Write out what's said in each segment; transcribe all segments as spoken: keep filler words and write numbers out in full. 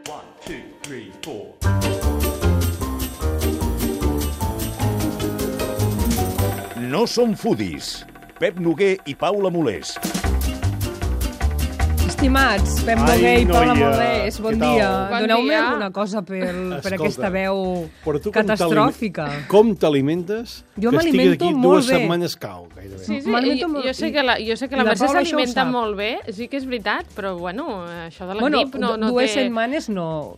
One, two, three, four. No som foodies. Pep Noguer i Paula Molés. Estimats, Pep Ai, Noguer i Paula noia, Molés, bon què tal? dia. Bon Doneu-me dia. alguna cosa per, per Escolta, aquesta veu però tu com catastròfica. t'alime- Com t'alimentes? Jo que estiguis m'alimento aquí molt dues bé. setmanes cau, gairebé. Sí, sí, M'alimento jo, molt- jo sé que la, jo sé que i la la Mercè Paula això ho s'alimenta sap. molt bé, sí que és veritat, però bueno, això de la Bueno, grip no, no dues té... setmanes no.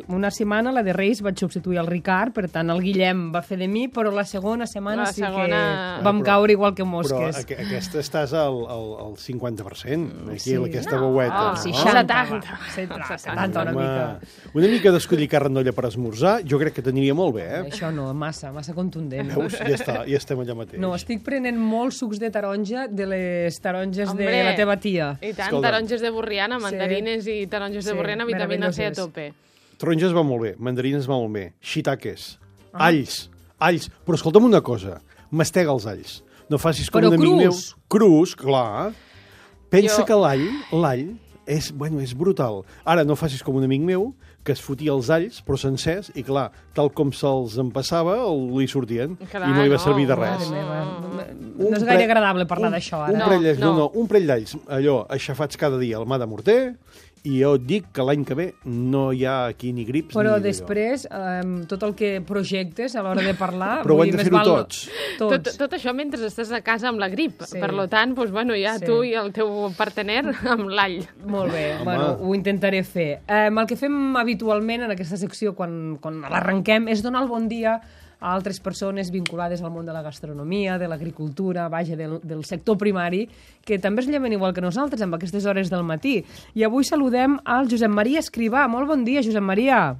Una setmana, la de Reis, vaig substituir el Ricard, per tant, el Guillem va fer de mi, però la segona setmana La sí segona- que vam Però- caure igual que Però mosques. aqu aquesta estàs al, al, al cinquanta per cent, aquí, Sí. aquesta No, veueta. al no? seixanta. setanta, setanta, setanta una Home, mica. una mica d'escollir carn d'olla per esmorzar, jo crec que t'aniria molt bé, eh? Això no, massa, massa contundent. Veus? Ja està, ja estem allà mateix. No, estic prenent molts sucs de taronja de les taronges Hombre, de la teva tia. I tant, Escolta. taronges de borriana, mandarines i taronges de Sí, borriana, vitamina C a meravelloses. tope. Taronges va molt bé, mandarines va molt bé, shiitakes, ah. alls, alls. Però escolta'm una cosa, mastega els alls. No facis com Però un amic meu. crus. Crus, clar. Pensa Jo- que l'all, l'all, és, bueno, és brutal. Ara, no facis com un amic meu, que es fotia els alls, però sencers, i clar, tal com se'ls empassava, li sortien, Clar, i no li va no, servir de no. res. Mare meva, Un no és gaire pre- agradable parlar un- d'això, Un ara. parell d'alls, no. No. no, un parell d'alls, allò, aixafats cada dia al mà de morter, i jo et dic que l'any que ve no hi ha aquí ni grips Però ni d'allò. després, eh, tot el que projectes a l'hora de parlar... Però ho vull hem dir, de més fer-ho val- tots. Tot, Tots. tot això mentre estàs a casa amb la grip. Sí. Per lo tant, doncs, bueno, ja Sí. tu i el teu partener amb l'all. Molt bé, Home. bueno, ho intentaré fer. Eh, el que fem habitualment en aquesta secció, quan, quan l'arrenquem, és donar el bon dia a altres persones vinculades al món de la gastronomia, de l'agricultura, vaja, del, del sector primari, que també es lleven igual que nosaltres amb aquestes hores del matí. I avui saludem al Josep Maria Escrivà. Molt bon dia, Josep Maria.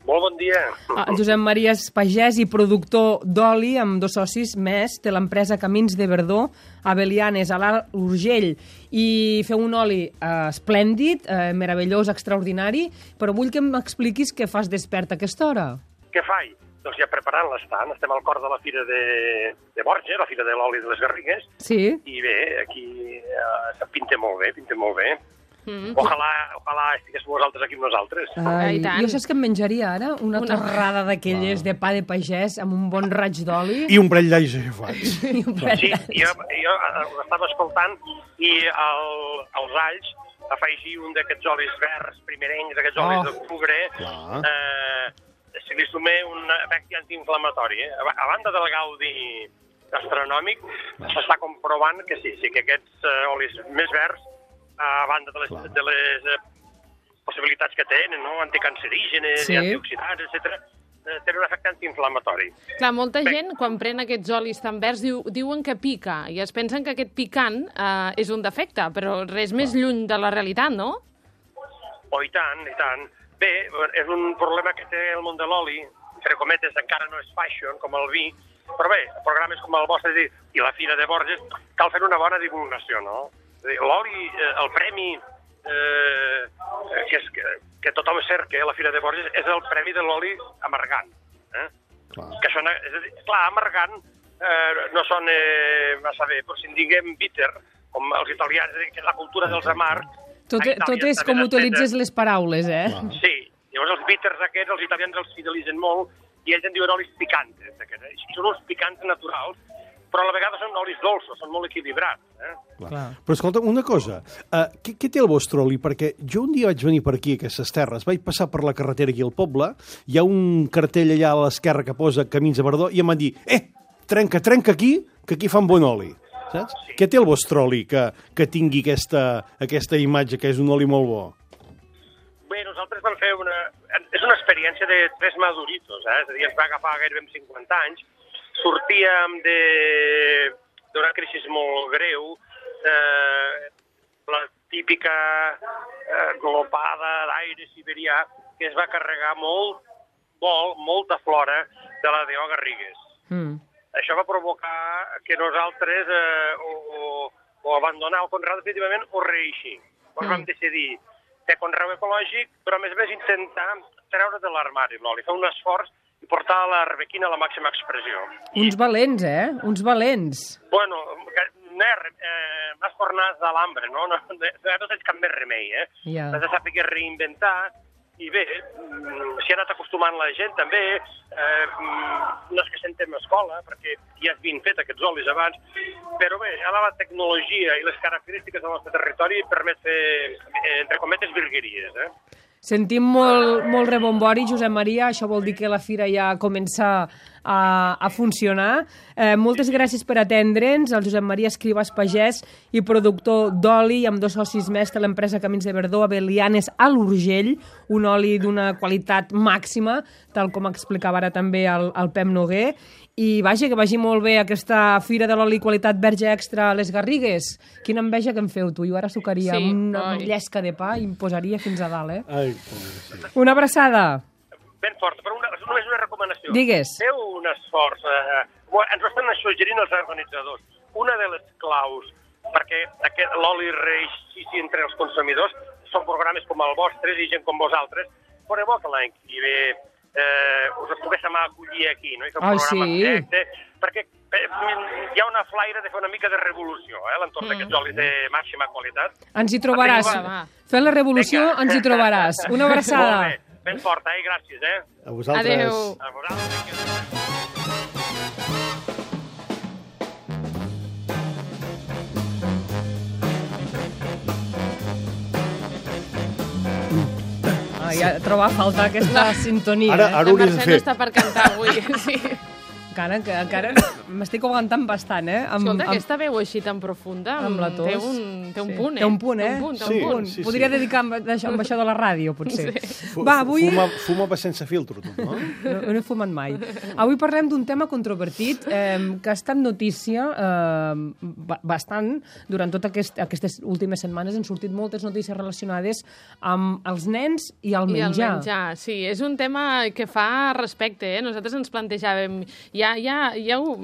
Molt bon dia. El Josep Maria és pagès i productor d'oli amb dos socis més. Té l'empresa Camins de Verdó, a Belianes, a l'Alt Urgell, i feu un oli eh, esplèndid, eh, meravellós, extraordinari, però vull que m'expliquis què fas despert a aquesta hora. Què faig? Doncs ja preparant l'estant. Estem al cor de la Fira de, de Borges, la Fira de l'Oli de les Garrigues, Sí? i bé, aquí eh, se pinta molt bé, pinta molt bé. Mm. Ojalà, ojalà estigués vosaltres aquí amb nosaltres. Ai, I tant. jo saps que em menjaria ara? Una, Una- torrada d'aquelles de pa de pagès amb un bon raig d'oli. I un parell d'alls aixafats. I un parell Sí, d'alls. jo, jo eh, ho estava escoltant i el, als alls afegir un d'aquests olis verds primerencs, aquests olis Oh. d'octubre, Clar. eh, se li suma un efecte antiinflamatori. Eh? A, a banda del gaudi gastronòmic, s'està comprovant que sí, sí que aquests eh, olis més verds, a banda de les, Clar. de les eh, possibilitats que tenen, no? Anticancerígenes, Sí. i antioxidants, etcètera, eh, tenen un efecte antiinflamatori. Clar, molta gent, quan pren aquests olis tan verds, diu, diuen que pica, i es pensen que aquest picant eh, és un defecte, però res més lluny de la realitat, no? Oh, i tant, i tant. Bé, és un problema que té el món de l'oli, entre cometes, encara no és fashion, com el vi, però bé, programes com el vostre i la Fira de Borges, cal fer una bona divulgació, no? És a dir, l'oli, eh, el premi eh, que, és, que, que tothom cerca a la Fira de Borges és el premi de l'oli amargant. Eh? Clar. Que sona, és a dir, clar, amargant eh, no sona eh, massa bé, però si en diguem bitter, com els italians, és a dir, que és la cultura dels amargs. Tot, a Itàlia tot és està com ben utilitzes estesa. les paraules, eh? Clar. Sí, llavors els bitters aquests, els italians els fidelitzen molt i ells en diuen olis picantes. Aquests. I són uns picants naturals, però a la vegada són olis dolços, són molt equilibrats. Eh? Clar. Clar. Però escolta, una cosa, uh, què, què té el vostre oli? Perquè jo un dia vaig venir per aquí, a aquestes terres, vaig passar per la carretera aquí al poble, hi ha un cartell allà a l'esquerra que posa Camins de Verdó, i em van dir, eh, trenca, trenca aquí, que aquí fan bon oli. Saps? Sí. Què té el vostre oli que, que tingui aquesta, aquesta imatge, que és un oli molt bo? Bé, nosaltres vam fer una... És una experiència de tres maduritos, eh? És a dir, ens va agafar gairebé amb cinquanta anys, sortíem de d'una crisi molt greu, eh, la típica eh, glopada d'aire siberià que es va carregar molt, molt, molta flora de la D O Garrigues. Mm. Això va provocar que nosaltres eh, o, o, o abandonar el conreu definitivament o reeixir. Llavors vam decidir fer conreu ecològic, però a més a més intentar treure de l'armari l'oli, fer un esforç i portar l'arbequina a la màxima expressió. Uns valents, eh? Uns valents. Bueno, no eh, m'has tornat de l'hambre, no? No, no, no tens cap més remei, eh? Ja. Has de saber reinventar i bé, s'hi ha anat acostumant la gent també, eh, no és que sentem escola, perquè ja havien fet aquests olis abans, però bé, ara la tecnologia i les característiques del nostre territori permet fer, entre cometes, virgueries, eh? Sentim molt, molt rebombori, Josep Maria, això vol dir que la fira ja comença a, a funcionar. Eh, moltes gràcies per atendre'ns, el Josep Maria Escrivas Pagès i productor d'oli, amb dos socis més de l'empresa Camins de Verdó, a Belianes, a l'Urgell, un oli d'una qualitat màxima, tal com explicava ara també el, el Pep Noguer. I vaja, que vagi molt bé aquesta fira de l'oli qualitat verge extra a les Garrigues. Quina enveja que em feu, tu. Jo ara sucaria Sí, una oi. llesca de pa i em posaria fins a dalt, eh? Ai, sí. Una abraçada. Ben forta, però una, només una recomanació. Digues. Feu un esforç, eh, ens ho estan suggerint els organitzadors. Una de les claus perquè aquest, l'oli reeixissi entre els consumidors són programes com el vostre i gent com vosaltres. Fora bo que l'any que ve eh, us els poguéssim acollir aquí, no? I fer un Ai, programa sí. directe, perquè eh, hi ha una flaire de fer una mica de revolució, eh, a l'entorn Mm. d'aquests olis de màxima qualitat. Ens hi trobaràs. Va, va. Fent la revolució Vinga. ens hi trobaràs. Una abraçada. Molt bé, ben forta, eh? Gràcies, eh? A vosaltres. Adéu. A vosaltres. Ah, ja troba a falta aquesta sintonia. Ara- eh? ara La hauries de Mercè fer. no està per cantar avui, sí. Encara, que, encara m'estic aguantant bastant, eh? Amb, Escolta, amb, aquesta veu així tan profunda amb la tos. té un, té un Sí. punt, eh? Té un punt, eh? Té un punt, té Sí. un punt. sí, Podria sí. dedicar amb, això, amb això de la ràdio, potser. Fu- Va, avui... Fuma, fuma pa sense filtro, tu, no? No, no he fumat mai. Avui parlem d'un tema controvertit eh, que ha estat notícia eh, ba- bastant durant totes aquest, aquestes últimes setmanes. Han sortit moltes notícies relacionades amb els nens i el I el menjar. menjar, sí. És un tema que fa respecte, eh? Nosaltres ens plantejàvem... Ja, ja, ja, ho,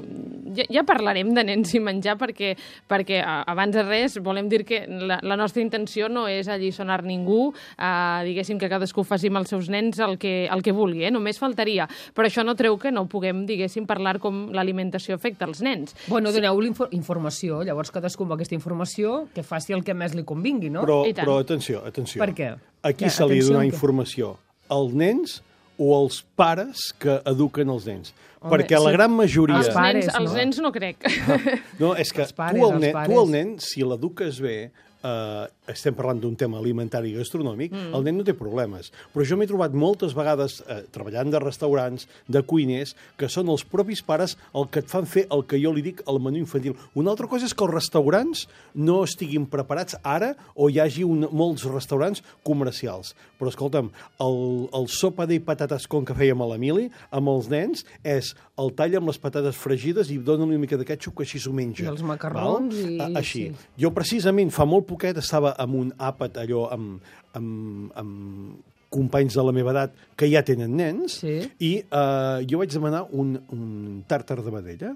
ja, ja parlarem de nens i menjar perquè, perquè a- abans de res volem dir que la, la nostra intenció no és alliçonar ningú, eh, diguéssim que cadascú faci amb els seus nens el que, el que vulgui, eh? Només faltaria. Però això no treu que no puguem, diguéssim, parlar com l'alimentació afecta els nens. Bueno, doneu informació, llavors cadascú amb aquesta informació que faci el que més li convingui, no? Però, I tant. però atenció, atenció. Per què? A qui Ja, se li atenció, dona què? informació? Als nens o als pares que eduquen els nens? Home, Perquè la sí. gran majoria... Els Els, pares, nens, els no? nens no crec. No, és que Els pares, tu, el els nen, pares. tu el nen, si l'eduques bé, eh, estem parlant d'un tema alimentari i gastronòmic, mm. el nen no té problemes. Però jo m'he trobat moltes vegades, eh, treballant de restaurants, de cuiners, que són els propis pares el que et fan fer el que jo li dic al menú infantil. Una altra cosa és que els restaurants no estiguin preparats ara o hi hagi un, molts restaurants comercials. Però, escolta'm, el, el sopa de patates com que fèiem a l'Emili, amb els nens, és el tall amb les patates fregides i dona una mica de ketchup que així s'ho menja. I els macarrons val? i- A, així. sí. Jo, precisament, fa molt poquet estava amb un àpat allò amb, amb, amb companys de la meva edat que ja tenen nens Sí. i eh, jo vaig demanar un, un tàrtar de vedella,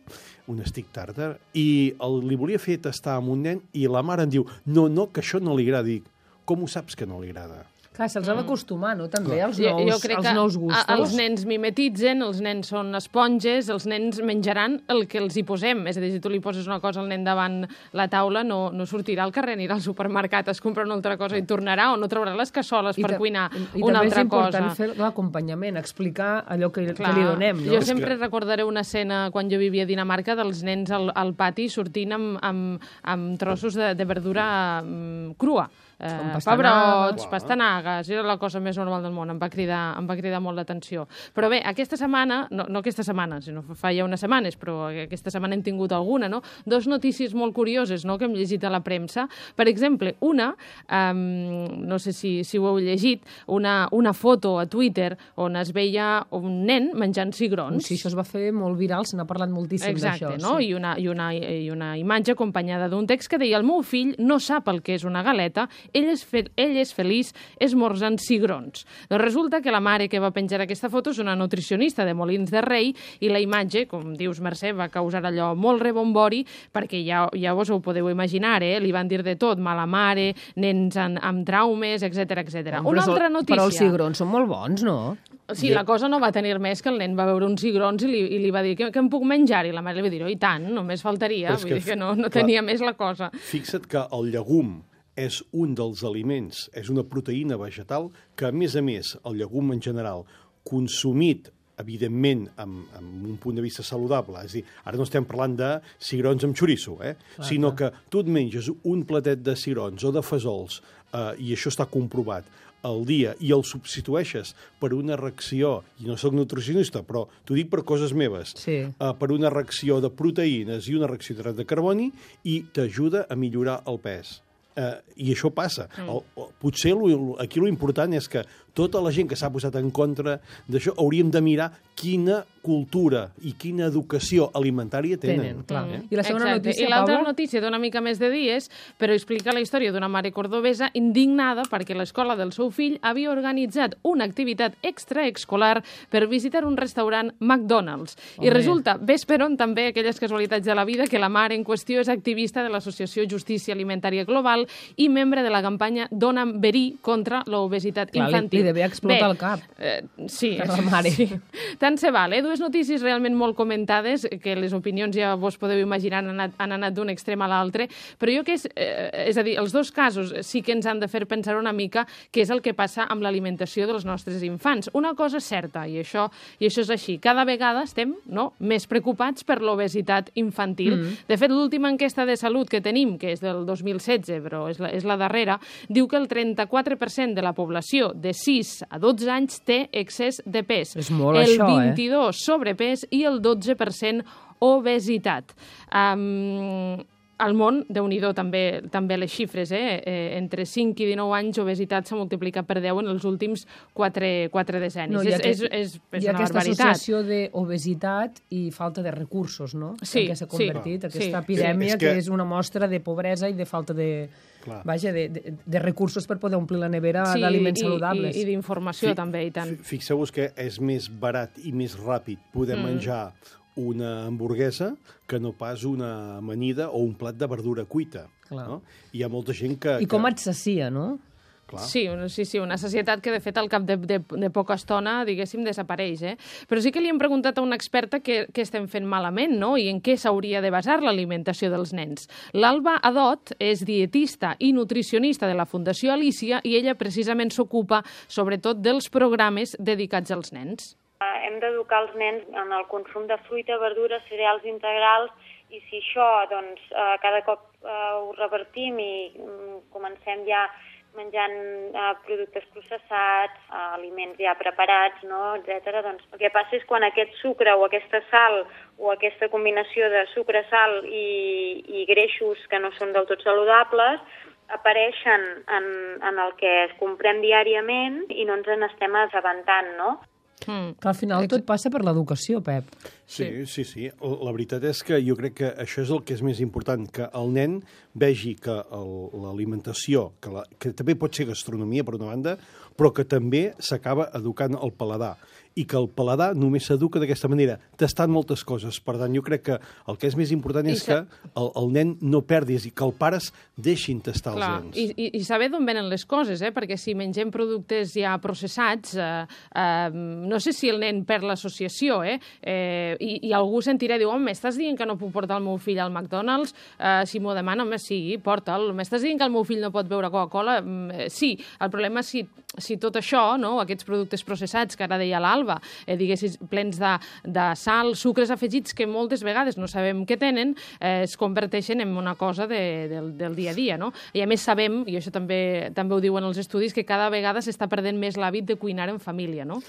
un stick tàrtar, i el, li volia fer tastar amb un nen i la mare em diu, no, no, que això no li agrada. Dic, com ho saps que no li agrada? Clar, se'ls ha d'acostumar, no?, també, als Jo, nous, jo crec als que nous gustos. a- els nens mimetitzen, els nens són esponges, els nens menjaran el que els hi posem. És a dir, si tu li poses una cosa al nen davant la taula, no, no sortirà al carrer, anirà al supermercat, es compra una altra cosa i tornarà, o no traurà les cassoles per ta- cuinar i una també altra és important cosa. fer l'acompanyament, explicar allò que, Clar, que li donem, no? Jo sempre recordaré una escena quan jo vivia a Dinamarca dels nens al, al pati sortint amb, amb, amb trossos de, de verdura um, crua. Eh, Com pastanagues. pebrots, pastanagues, era la cosa més normal del món, em va cridar, em va cridar molt l'atenció. Però bé, aquesta setmana, no, no aquesta setmana, sinó fa ja unes setmanes, però aquesta setmana hem tingut alguna, no? Dos notícies molt curioses, no?, que hem llegit a la premsa. Per exemple, una, um, no sé si, si ho heu llegit, una, una foto a Twitter on es veia un nen menjant cigrons. Sí, això es va fer molt viral, se n'ha parlat moltíssim d'això. Exacte, no? Sí. I, una, i, una, I una imatge acompanyada d'un text que deia: el meu fill no sap el que és una galeta, ell és, fe ell és feliç esmorzant cigrons. Doncs resulta que la mare que va penjar aquesta foto és una nutricionista de Molins de Rei i la imatge, com dius, Mercè, va causar allò molt rebombori perquè ja, ja vos ho podeu imaginar, eh? Li van dir de tot, mala mare, nens amb, amb traumes, etcètera etcètera. Però Una és el- altra notícia. Però els cigrons són molt bons, no? Sí, la cosa no va tenir més que el nen va veure uns cigrons i li, i li va dir que, que em puc menjar, i la mare li va dir, oh, i tant, només faltaria, Però és vull que dir que no, no clar. tenia més la cosa. Fixa't que el llegum és un dels aliments, és una proteïna vegetal que, a més a més, el llegum en general, consumit evidentment, amb, amb un punt de vista saludable. És a dir, ara no estem parlant de cigrons amb xoriço, eh? Clar, sinó clar. que tu et menges un platet de cigrons o de fesols, eh, i això està comprovat, al dia, i el substitueixes per una reacció, i no sóc nutricionista, però t'ho dic per coses meves, Sí. eh, per una reacció de proteïnes i una reacció d'hidrat de carboni, i t'ajuda a millorar el pes. Uh, I això passa. Mm. El, el, potser lo, aquí l'important és que tota la gent que s'ha posat en contra d'això hauríem de mirar quina cultura i quina educació alimentària tenen. Tenen, clar. Mm. I la segona Exacte. notícia, I l'altra Paula? notícia dona mica més de dies, però explica la història d'una mare cordobesa indignada perquè l'escola del seu fill havia organitzat una activitat extraescolar per visitar un restaurant McDonald's. Home. I resulta, ves per on també aquelles casualitats de la vida, que la mare en qüestió és activista de l'Associació Justícia Alimentària Global i membre de la campanya Dona'm Verí contra l'obesitat Clar, li- infantil. li devia explotar Bé, el cap. Eh, sí, Per la mare. sí. Tant se val, eh? Dues notícies realment molt comentades, que les opinions ja vos podeu imaginar han anat, han anat d'un extrem a l'altre, però jo que és, eh, és a dir, els dos casos sí que ens han de fer pensar una mica què és el que passa amb l'alimentació dels nostres infants. Una cosa és certa, i això, i això és així, cada vegada estem no, més preocupats per l'obesitat infantil. Mm. De fet, l'última enquesta de salut que tenim, que és del dos mil setze, però és la, és la darrera, diu que el trenta-quatre per cent de la població de sis a dotze anys té excés de pes. És molt el això, eh? vint-i-dos sobrepès i el dotze per cent obesitat. Um, al món, déu-n'hi-do, també, també les xifres, eh? eh? Entre cinc i dinou anys, obesitat s'ha multiplicat per deu en els últims quatre, quatre decennis. No, hi ha és, aquest- és, és, és Hi ha una aquesta barbaritat. associació d'obesitat i falta de recursos, no? Sí, En què s'ha sí. convertit, Sí. aquesta Sí. epidèmia, És que... que- que és una mostra de pobresa i de falta de, Clar. vaja, de, de, de recursos per poder omplir la nevera Sí, d'aliments i- saludables. I, i d'informació Fi- també, i tant. fi- Fixeu-vos que és més barat i més ràpid poder mm. menjar una hamburguesa que no pas una amanida o un plat de verdura cuita. Clar. No? Hi ha molta gent que... I com que... et sacia, no? Clar. Sí, una- sí, sí, una societat que, de fet, al cap de, de, de poca estona, diguéssim, desapareix. Eh? Però sí que li hem preguntat a una experta què, què estem fent malament, no?, i en què s'hauria de basar l'alimentació dels nens. L'Alba Adot és dietista i nutricionista de la Fundació Alícia i ella precisament s'ocupa, sobretot, dels programes dedicats als nens. Hem d'educar els nens en el consum de fruita, verdures, cereals integrals, i si això doncs, eh, cada cop eh, ho revertim i mm, comencem ja menjant eh, productes processats, eh, aliments ja preparats, no, etcètera, doncs el que passa és quan aquest sucre o aquesta sal o aquesta combinació de sucre, sal i, i greixos que no són del tot saludables apareixen en, en el que comprem diàriament i no ens n'estem assabentant, no? Mm. Que al final tot passa per l'educació, Pep. Sí, sí, sí. La veritat és que jo crec que això és el que és més important, que el nen vegi que el- l'alimentació, que, la, que també pot ser gastronomia, per una banda, però que també s'acaba educant el paladar, i que el paladar només s'educa d'aquesta manera, tastant moltes coses. Per tant, jo crec que el que és més important I és sa- que el, el nen no perdis i que els pares deixin tastar Clar, els nens. i, i, i saber d'on venen les coses, eh? Perquè si mengem productes ja processats, eh, eh, no sé si el nen perd l'associació, eh? eh i, I algú sentirà, diu, home, m'estàs dient que no puc portar el meu fill al McDonald's? Eh, si m'ho demana, home, sí, porta'l. M'estàs dient que el meu fill no pot beure Coca-Cola? Mm, sí. El problema és si, si tot això, no? Aquests productes processats, que ara deia l'Alba, eh, diguéssim, plens de, de sal, sucres afegits que moltes vegades no sabem què tenen, eh, es converteixen en una cosa de, del, del dia a dia, no? I a més sabem, i això també també ho diuen els estudis, que cada vegada s'està perdent més l'hàbit de cuinar en família, no?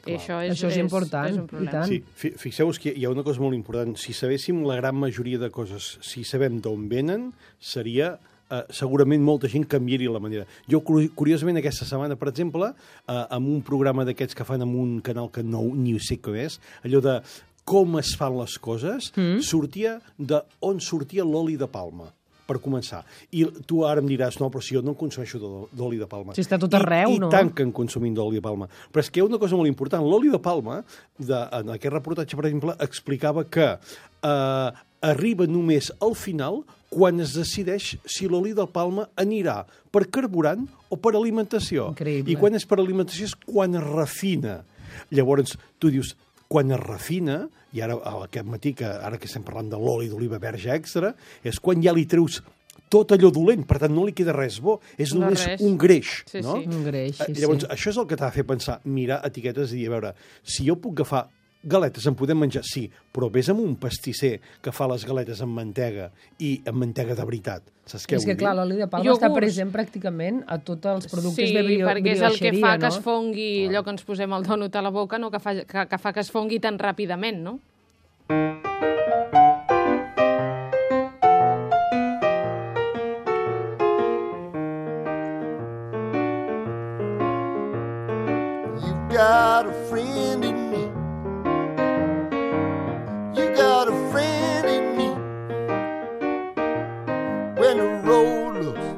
I això és, Això és important, és un i problema. tant. Sí, fi- fixeu-vos que hi ha una cosa molt important. Si sabéssim la gran majoria de coses, si sabem d'on venen, seria... Uh, segurament molta gent canviaria la manera. Jo, curi- curiosament, aquesta setmana, per exemple, uh, amb un programa d'aquests que fan en un canal que no ni sé què és, allò de com es fan les coses, mm. sortia de on sortia l'oli de palma, per començar. I tu ara em diràs, no, però si jo no en consumeixo d'o- d'oli de palma. Si està tot arreu, I, no? I tant que en consumim d'oli de palma. Però és que hi ha una cosa molt important. L'oli de palma, de, en aquest reportatge, per exemple, explicava que eh, arriba només al final quan es decideix si l'oli de palma anirà per carburant o per alimentació. Increïble. I quan és per alimentació és quan es refina. Llavors, tu dius, quan es refina, i ara aquest matí, que ara que estem parlant de l'oli d'oliva verge extra, és quan ja li treus tot allò dolent, per tant no li queda res bo, és No només res. un greix, Sí, no? sí. Un greix, sí, Eh, Llavors, sí. això és el que t'ha de fer pensar, mirar etiquetes i dir, a veure, si jo puc agafar galetes, en podem menjar, sí, però vés amb un pastisser que fa les galetes amb mantega i amb mantega de veritat. Saps què És que, vull clar, dir? l'oli de palma Iogurts. està present pràcticament a tots els productes Sí, de bio, perquè és el que brioixeria, fa que no? es fongui, allò que ens posem el dònut a la boca, no? que, fa, que, que fa que es fongui tan ràpidament, no? You've got a friend in me. You got a friend in me. When the road looks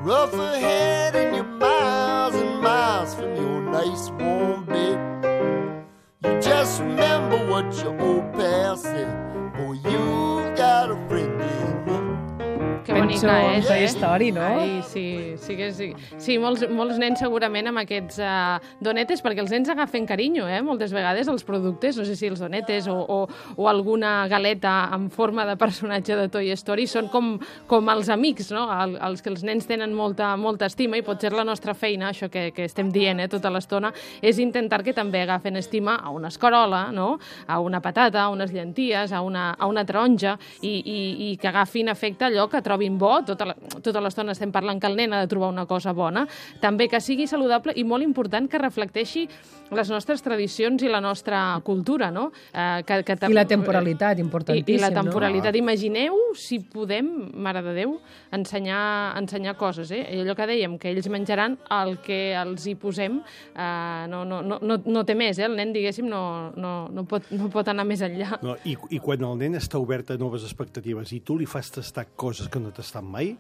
rough ahead and you're miles and miles from your nice warm bed, you just remember what your old pal said. Boy, you've got a friend in me. Que bonica Penso en és, Toy eh? Story, no? Ai, sí, sí que sí. Sí, molts, molts nens segurament amb aquests uh, donetes, perquè els nens agafen carinyo, eh? Moltes vegades els productes, no sé si els donetes o, o, o alguna galeta en forma de personatge de Toy Story són com, com els amics, no? El, els que els nens tenen molta, molta estima i potser la nostra feina, això que, que estem dient eh, tota l'estona, és intentar que també agafen estima a una escarola, no? A una patata, a unes llenties, a una, a una taronja i, i, i que agafin efecte allò que trobin bo, tota la, tota l'estona estem parlant que el nen ha de trobar una cosa bona, també que sigui saludable i molt important que reflecteixi les nostres tradicions i la nostra cultura, no? Eh, que, que I la temporalitat, importantíssim, I, i la no? temporalitat. Imagineu si podem, Mare de Déu, ensenyar, ensenyar coses, eh? I allò que dèiem, que ells menjaran el que els hi posem, eh, no, no, no, no, no té més, eh? El nen, diguéssim, no, no, no, pot, no pot anar més enllà. No, i, I quan el nen està obert a noves expectatives i tu li fas tastar coses que no tastat mai,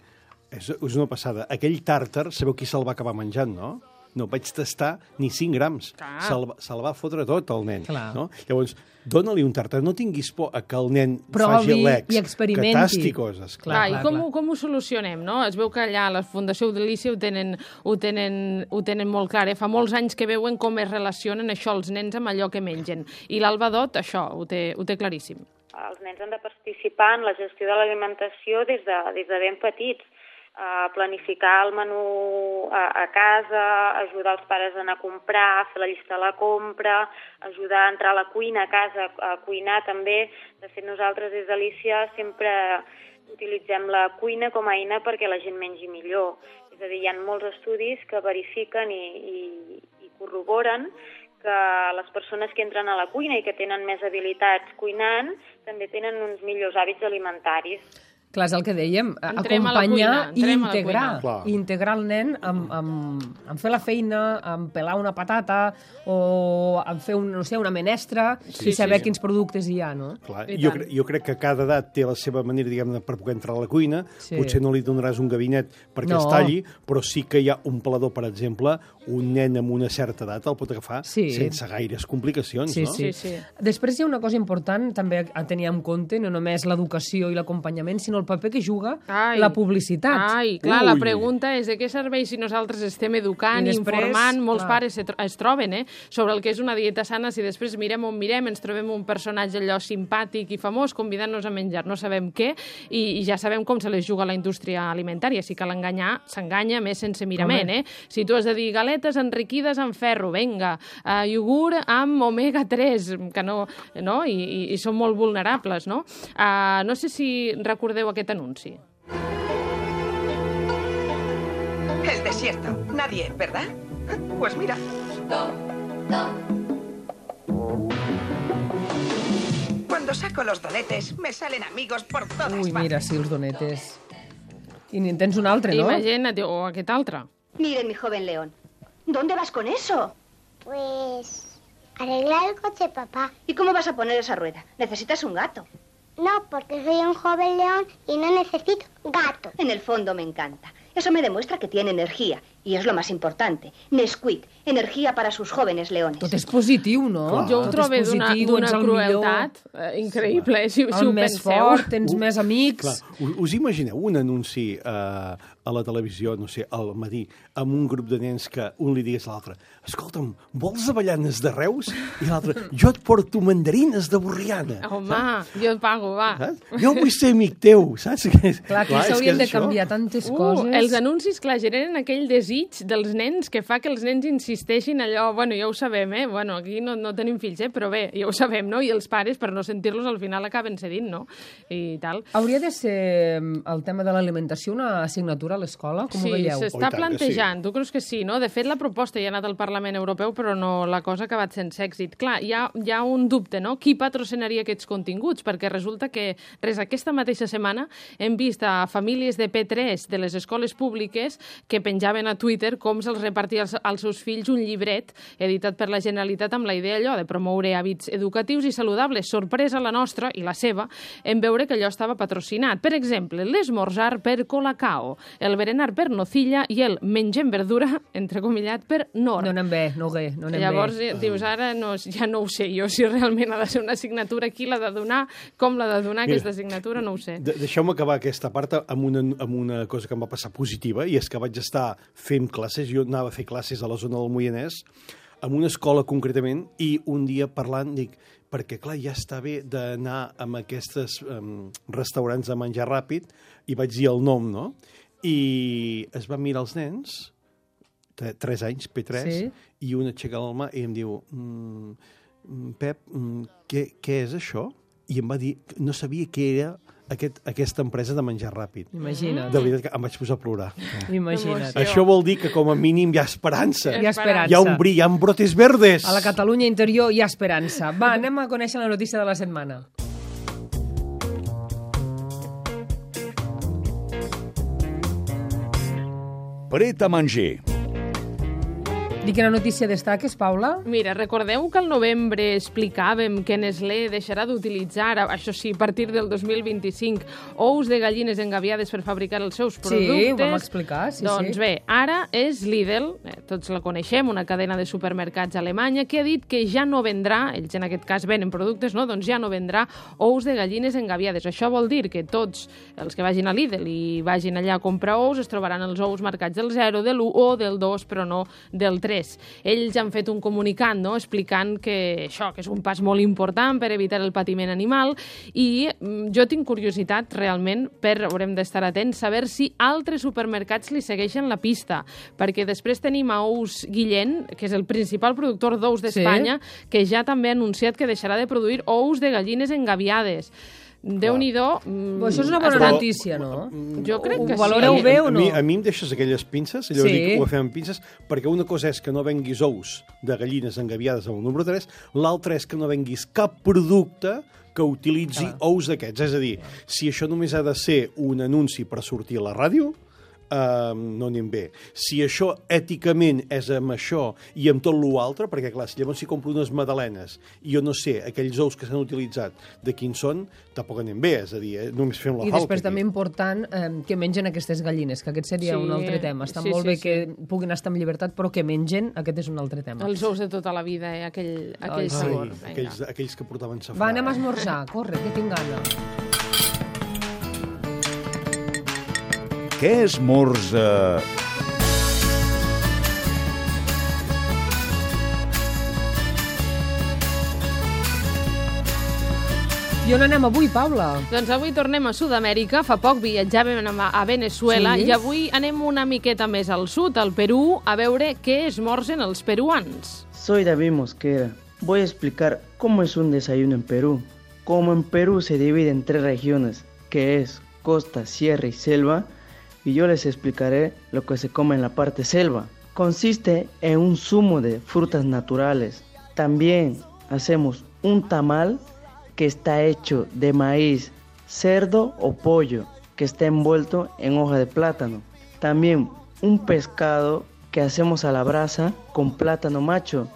és, és una passada. Aquell tàrtar, sabeu qui se'l va acabar menjant, no? No vaig tastar ni cinc grams. Se'l se va fotre tot, el nen. Clar. No? Llavors, dóna-li un tàrtar. No tinguis por a que el nen Provi faci lecs, i experimenti. que tasti coses. Clar, Clar, i clar, com, clar. ho- com ho solucionem, no? Es veu que allà a la Fundació Delícia ho tenen, ho tenen, ho tenen molt clar, eh? Fa molts anys que veuen com es relacionen això els nens amb allò que mengen. I l'Alba Dot, això, ho té, ho té claríssim. Els nens han de participar en la gestió de l'alimentació des de, des de ben petits. Uh, planificar el menú a, a casa, ajudar els pares a anar a comprar, fer la llista de la compra, ajudar a entrar a la cuina a casa, a cuinar també. De fet, nosaltres des d'Alícia sempre utilitzem la cuina com a eina perquè la gent mengi millor. És a dir, hi ha molts estudis que verifiquen i, i, i corroboren que les persones que entren a la cuina i que tenen més habilitats cuinant també tenen uns millors hàbits alimentaris. Clar, és el que dèiem, Entrem a la acompanyar cuina, i entrem a la integrar. cuina. Clar. I integrar el nen amb, amb, amb fer la feina, amb pelar una patata o amb fer un, no sé, una menestra Sí, i saber sí. quins productes hi ha, no? Clar, I jo, tant. cre jo crec que cada edat té la seva manera, diguem-ne, per poder entrar a la cuina. Sí. Potser no li donaràs un gabinet perquè No. es talli, però sí que hi ha un pelador, per exemple, un nen amb una certa edat el pot agafar Sí. sense gaires complicacions, Sí, no? sí. Sí, sí. Després hi ha una cosa important també a tenir en compte, no només l'educació i l'acompanyament, sinó el paper que juga Ai. la publicitat. Ai, clar, la Ui. pregunta és de què serveix si nosaltres estem educant, I després, informant, molts clar. pares se tro es troben eh, sobre el que és una dieta sana, si després mirem on mirem, ens trobem un personatge allò simpàtic i famós convidant-nos a menjar, no sabem què, i, i ja sabem com se les juga la indústria alimentària, si cal enganyar, s'enganya més sense mirament, Home. eh? Si tu has de dir galetes enriquides en ferro, venga, uh, iogurt amb omega tres, que no, no? I, i, i són molt vulnerables, no? Uh, no sé si recordeu aquest anunci. El desierto. Nadie, ¿verdad? Pues mira. Cuando saco los donetes, me salen amigos por todas Ui, partes. mira, sí, els donetes. I n'hi tens un altre, no? Imagina't, o aquest altre. Miren, mi joven león. ¿Dónde vas con eso? Pues arreglar el coche, papá. ¿Y cómo vas a poner esa rueda? Necesitas un gato. No, porque soy un joven león y no necesito gato. En el fondo me encanta. Eso me demuestra que tiene energía. Y es lo más importante. Nesquik, energía para sus jóvenes leones. Tot és positiu, no? Clar. Jo ho Tot és trobo d'una positiu, d'una ets el crueltat eh, increïble, eh, si, si El ho més penseu. fort, tens més amics... Clar, us, us imagineu un anunci eh, a la televisió, no sé, al matí, amb un grup de nens que un li digués a l'altre: escolta'm, vols avellanes de Reus? I l'altre: jo et porto mandarines de Borriana. Home, jo et pago, va. Saps? Jo vull ser amic teu, saps? Clar, aquí és s'haurien és de això. canviar tantes Uh, coses. els anuncis, clar, generen aquell desig dels nens que fa que els nens insisteixin allò, bueno, ja ho sabem, eh? Bueno, aquí no, no tenim fills, eh? Però bé, ja ho sabem, no? I els pares, per no sentir-los, al final acaben cedint, no? I tal. Hauria de ser el tema de l'alimentació una assignatura a l'escola? Com Sí, ho veieu? Oh, s'està i tant que plantejant. Tu creus que sí, no? De fet, la proposta ja ha anat al Parlament Europeu, però no, la cosa ha acabat sense èxit. Clar, hi ha, hi ha un dubte, no? Qui patrocinaria aquests continguts? Perquè resulta que, res, aquesta mateixa setmana hem vist a famílies de P tres de les escoles públiques que penjaven a Twitter com se'ls repartia als, als seus fills un llibret editat per la Generalitat amb la idea allò de promoure hàbits educatius i saludables. Sorpresa la nostra i la seva en veure que allò estava patrocinat. Per exemple, l'esmorzar per Colacao, el berenar per Nocilla i el mengem verdura, entrecomillat, per Nor. No anem bé, no bé, no anem Llavors, bé. eh, dius, ara no, ja no ho sé jo, si realment ha de ser una assignatura, qui l'ha de donar, com l'ha de donar Mira, aquesta assignatura, no ho sé. De Deixeu-me acabar aquesta part amb una, amb una cosa que em va passar positiva, i és que vaig estar fent classes, jo anava a fer classes a la zona del Moianès, en una escola concretament, i un dia parlant dic, perquè clar, ja està bé d'anar a aquests um, restaurants de menjar ràpid, i vaig dir el nom, no? I es van mirar els nens, tres anys, P tres, Sí. i un aixeca la mà i em diu, mm, Pep, mm, què, què és això? I em va dir, no sabia què era aquest, aquesta empresa de menjar ràpid. Imagina't. De veritat que em vaig posar a plorar. Imagina't. Emoció. Això vol dir que com a mínim hi ha esperança. Hi ha esperança. Hi ha un bri, hi ha brotes verdes. A la Catalunya interior hi ha esperança. Va, anem a conèixer la notícia de la setmana. Pret a manger. I quina notícia destaques, Paula? Mira, recordeu que al novembre explicàvem que Nestlé deixarà d'utilitzar, això sí, a partir del dos mil vint-i-cinc, ous de gallines engaviades per fabricar els seus productes? Sí, ho vam explicar, sí, doncs sí. bé, ara és Lidl, eh, tots la coneixem, una cadena de supermercats alemanya, que ha dit que ja no vendrà, ells en aquest cas venen productes, no? Doncs ja no vendrà ous de gallines engaviades. Això vol dir que tots els que vagin a Lidl i vagin allà a comprar ous es trobaran els ous marcats del zero, de l'u o del dos, però no del tres. Ells han fet un comunicat, no?, explicant que això, que és un pas molt important per evitar el patiment animal, i jo tinc curiositat realment, per, haurem d'estar atents, saber si altres supermercats li segueixen la pista, perquè després tenim a Ous Guillén, que és el principal productor d'ous d'Espanya, sí, que ja també ha anunciat que deixarà de produir ous de gallines engaviades. Déu-n'hi-do. Mm, això és una bona Està... notícia, no? Jo crec Ho que valoreu sí. bé o no? A mi, a mi em deixes aquelles pinces, allò Sí. sí. Dic, ho fem amb pinces, perquè una cosa és que no venguis ous de gallines engaviades amb el número tres, l'altra és que no venguis cap producte que utilitzi Clar. ous d'aquests. És a dir, si això només ha de ser un anunci per sortir a la ràdio, Uh, no anem bé. Si això èticament és amb això i amb tot l'altre, perquè clar, si llavors si compro unes magdalenes i jo no sé aquells ous que s'han utilitzat de quins són, tampoc anem bé, és a dir, eh? Només fem la I falca. després aquí. també important eh, que mengen aquestes gallines, que aquest seria Sí, un altre tema. Està sí, molt sí, bé sí. que puguin estar en llibertat, però que mengen, aquest és un altre tema. Els ous de tota la vida, eh? aquell, aquell Ai, sí. sabor. Ai, aquells, aquells que portaven safrà. Va, anem a esmorzar, corre, que tinc gana. Què esmorza? I on anem avui, Paula? Doncs avui tornem a Sud-amèrica. Fa poc viatjàvem a, a Venezuela, Sí? i avui anem una miqueta més al sud, al Perú, a veure què esmorzen els peruans. Soy David Mosquera. Voy a explicar cómo es un desayuno en Perú. Como en Perú se divide en tres regiones, que es costa, sierra y selva, y yo les explicaré lo que se come en la parte selva. Consiste en un zumo de frutas naturales. También hacemos un tamal que está hecho de maíz, cerdo o pollo, que está envuelto en hoja de plátano. También un pescado que hacemos a la brasa con plátano macho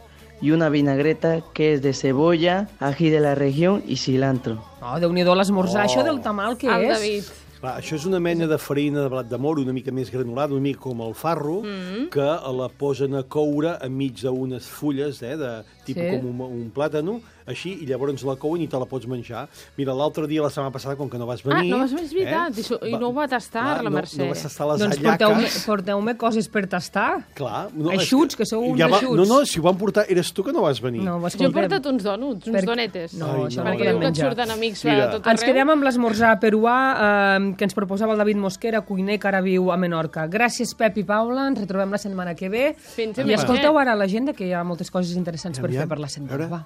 y una vinagreta que es de cebolla, ají de la región y cilantro. Oh, Déu-n'hi-do l'esmorzar. Oh. Això del tamal, què El és? David. Clar, això és una mena de farina de blat de moro, una mica més granulada, una mica com el farro, mm. que la posen a coure enmig d'unes fulles, eh, de tipus sí. com un, un plàtano, així, i llavors la couen i te la pots menjar. Mira, l'altre dia, la setmana passada, com que no vas venir... Ah, no vas venir, és veritat, eh? I no ho va tastar, clar, la Mercè. No, no vas tastar les doncs allaques. Doncs porteu-me coses per tastar. Clar. No, Eixuts, que, que sou uns ja va, eixuts. No, no, si ho van portar, eres tu que no vas venir. No, jo he portat uns donuts, uns per... donetes. No, Ai, això no, no, perquè no, diu que et surten amics a tot arreu. Ens quedem amb l'esmorzar peruà eh, que ens proposava el David Mosquera, cuiner que ara viu a Menorca. Gràcies, Pep i Paula, ens retrobem la setmana que ve. Fins I escolteu ara l'agenda, que hi ha moltes coses interessants per fer per la setmana. Va.